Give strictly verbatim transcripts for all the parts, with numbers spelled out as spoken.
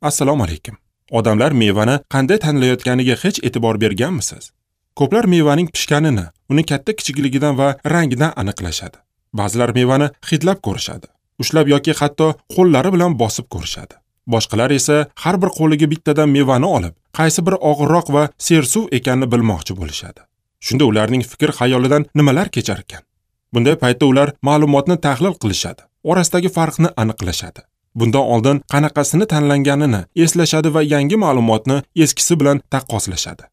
Assalomu alaykum. Odamlar mevani qanday tanlayotganiga hech e'tibor berganmisiz? Ko'plar mevaning pishganini, uni katta kichikligidan va rangidan aniqlashadi. Ba'zilar mevani hidlab ko'rishadi, ushlab yoki hatto qo'llari bilan bosib ko'rishadi. Boshqalar esa har bir qo'liga bittadan mevani olib, qaysi bir og'irroq va sersuv ekanini bilmoqchi bo'lishadi. Shunda ularning fikr xayolidan nimalar kechar ekan? Bunday paytda ular ma'lumotni tahlil qilishadi, orasidagi farqni aniqlashadi. Bundan oldin qanaqasini tanlanganini eslashadi va yangi ma'lumotni eskisi bilan taqqoslashadi.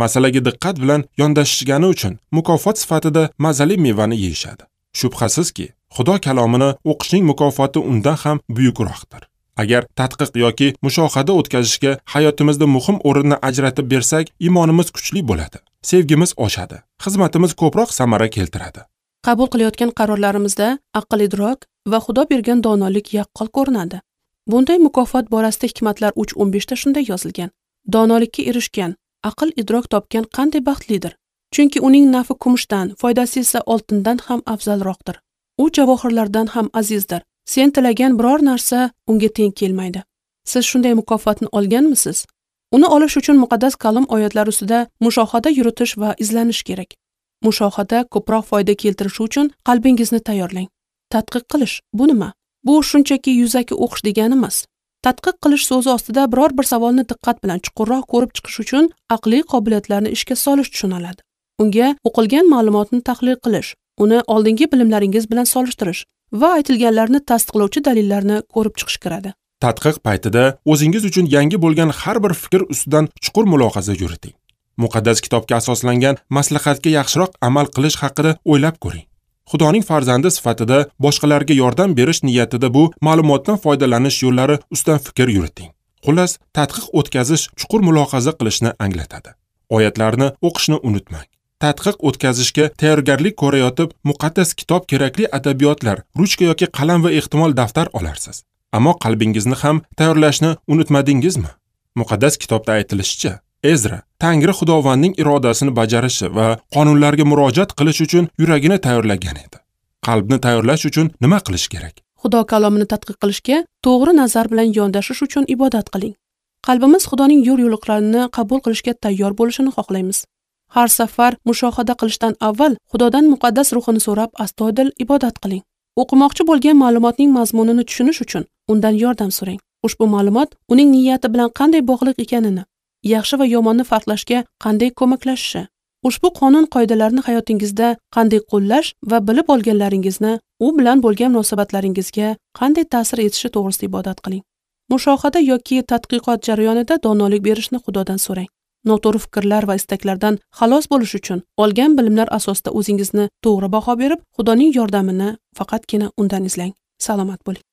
Masalaga diqqat bilan yondashishgani uchun mukofot sifatida mazali mevani yeyishadi. Shubhasizki, Xudo kalomini o'qishning mukofoti undan ham buyukroqdir. Agar tadqiq yoki mushohada o'tkazishga hayotimizda muhim o'rinni ajratib bersak, iymonimiz kuchli bo'ladi, sevgimiz oshadi, xizmatimiz ko'proq samara keltiradi. Qabul qilayotgan qarorlarimizda aql-idrok va Xudo bergan donolik yaqqol ko'rinadi. Bunday mukofot borasida Hikmatlar uch o'n beshda shunday yozilgan: Donolikka erishgan, aql-idrok topgan qanday baxtlidir. Chunki uning nafi kumushdan, foydasi esa oltindan ham afzalroqdir. U javohirlardan ham azizdir. Sen tilagan biror narsa unga teng kelmaydi. Siz shunday mukofotni olganmisiz? Uni olish uchun muqaddas kalom oyatlari ustida mushohada yuritish va izlanish kerak. Mushohada ko'proq foyda keltirishi uchun qalbingizni tayyorlang. Tadqiq qilish bu nima? Bu shunchaki yuzaki o'qish degani emas. Tadqiq qilish so'zi ostida biror bir savolni diqqat bilan chuqurroq ko'rib chiqish uchun aqliy qobiliyatlarni ishga solish tushuniladi. Unga o'qilgan ma'lumotni tahlil qilish, uni oldingi bilimlaringiz bilan solishtirish va aytilganlarni tasdiqlovchi dalillarni ko'rib chiqish kiradi. Tadqiq paytida o'zingiz uchun yangi bo'lgan har bir fikr ustidan chuqur mulohaza yuriting. Muqaddas kitobga asoslangan maslahatga yaxshiroq amal qilish haqida o'ylab ko'ring. Xudoning farzandi sifatida boshqalarga yordam berish niyatida bu ma'lumotdan foydalanish yo'llari ustidan fikr yuriting. Xullas, tadqiq o'tkazish chuqur mulohaza qilishni anglatadi. Oyatlarni o'qishni unutmang. Tadqiq o'tkazishga tayyorgarlik ko'rayotib, muqaddas kitob kerakli adabiyotlar, ruchka yoki qalam va ehtimol daftar olarsiz. Ammo qalbingizni ham tayyorlashni unutmadingizmi? Muqaddas kitobda aytilishicha, Ezra Tangri Xudovandning irodasini bajarishi va qonunlarga murojaat qilish uchun yuragini tayyorlagan edi. Qalbni tayyorlash uchun nima qilish kerak? Xudo kalomini tadqiq qilishga to'g'ri nazar bilan yondashish uchun ibodat qiling. Qalbimiz Xudoning yo'l-yo'riqlarini qabul qilishga tayyor bo'lishini xohlaymiz. Har safar mushohada qilishdan avval Xudodan muqaddas ruhini so'rab astoydil ibodat qiling. O'qimoqchi bo'lgan ma'lumotning mazmunini tushunish uchun undan yordam so'rang. Ushbu ma'lumot uning niyati bilan qanday bog'liq ekanini, yaxshi va yomonni farqlashga qanday ko'maklashishi, ushbu qonun qoidalarini hayotingizda qanday qo'llash va bilib olganlaringizni u bilan bo'lgan munosabatlaringizga qanday ta'sir etishi to'g'risida ibodat qiling. Mushohada yoki tadqiqot jarayonida donolik berishni Xudodan so'rang. Noto'g'ri fikrlar va istaklardan xalos bo'lish uchun olgan bilimlar asosida o'zingizni to'g'ri baho berib, Xudoning yordamini faqatgina undan izlang. Salomat bo'ling.